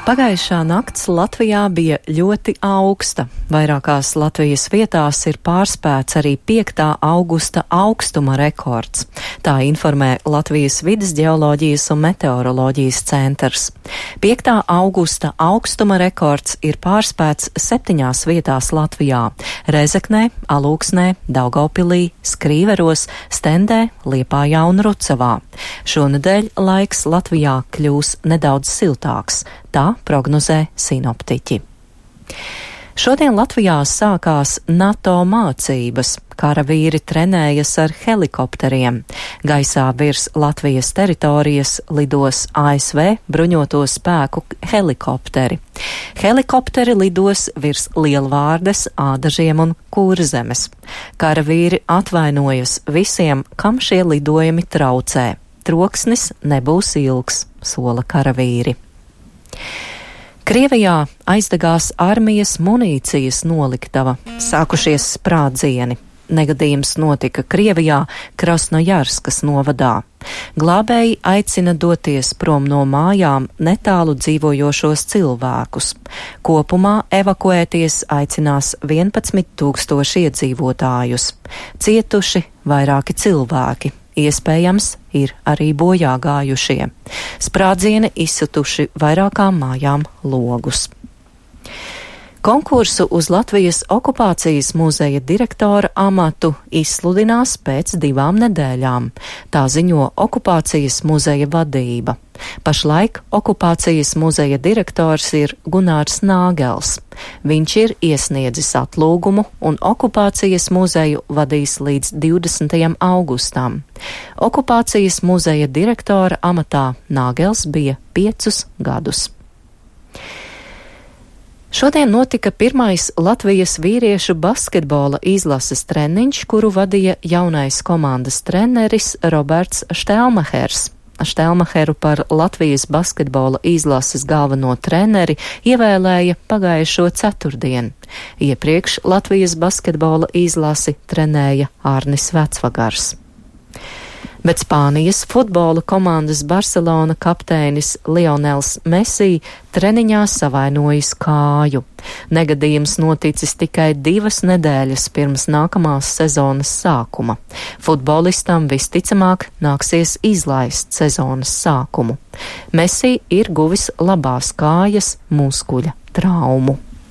Pagājušā nakts Latvijā bija ļoti augsta. Vairākās Latvijas vietās ir pārspēts arī 5. augusta augstuma rekords. Tā informē Latvijas vides ģeoloģijas un meteoroloģijas centrs. 5. augusta augstuma rekords ir pārspēts 7 vietās Latvijā - Rezeknē, Alūksnē, Daugavpilī, Skrīveros, Stendē, Liepājā un Rucavā. Šonedēļ laiks Latvijā kļūs nedaudz siltāks. Tā prognozē sinoptiķi. Šodien Latvijā sākās NATO mācības. Karavīri trenējas ar helikopteriem. Gaisā virs Latvijas teritorijas lidos ASV bruņoto spēku helikopteri. Helikopteri lidos virs Lielvārdes, Ādažiem un Kurzemes. Karavīri atvainojas visiem, kam šie lidojumi traucē. Troksnis nebūs ilgs, sola karavīri. Krievijā aizdegās armijas munīcijas noliktava, sākušies sprādzieni. Negadījums notika Krievijā, Krasnojarskas novadā. Glābēji aicina doties prom no mājām netālu dzīvojošos cilvēkus. Kopumā evakuēties aicinās 11 000 iedzīvotājus. Cietuši vairāki cilvēki. Iespējams, ir arī bojā gājušie. Sprādzieni izsituši vairākām mājām logus. Konkursu uz Latvijas okupācijas muzeja direktora amatu izsludinās pēc 2 nedēļām. Tā ziņo okupācijas muzeja vadība. Pašlaik okupācijas muzeja direktors ir Gunārs Nāgels. Viņš ir iesniedzis atlūgumu un okupācijas muzeju vadīs līdz 20. augustam. Okupācijas muzeja direktora amatā Nāgels bija 5 gadus. Šodien notika pirmais Latvijas vīriešu basketbola izlases treniņš, kuru vadīja jaunais komandas treneris Roberts Štelmahers. Štelmaheru par Latvijas basketbola izlases galveno treneri ievēlēja pagājušo ceturtdienu. Iepriekš Latvijas basketbola izlasi trenēja Arnis Vecvagars. Bet Spānijas futbola komandas Barcelona kapteinis Lionels Messi treniņā savainojis kāju. Negadījums noticis tikai 2 nedēļas pirms nākamās sezonas sākuma. Futbolistam visticamāk nāksies izlaist sezonas sākumu. Messi ir guvis labās kājas muskuļa traumu.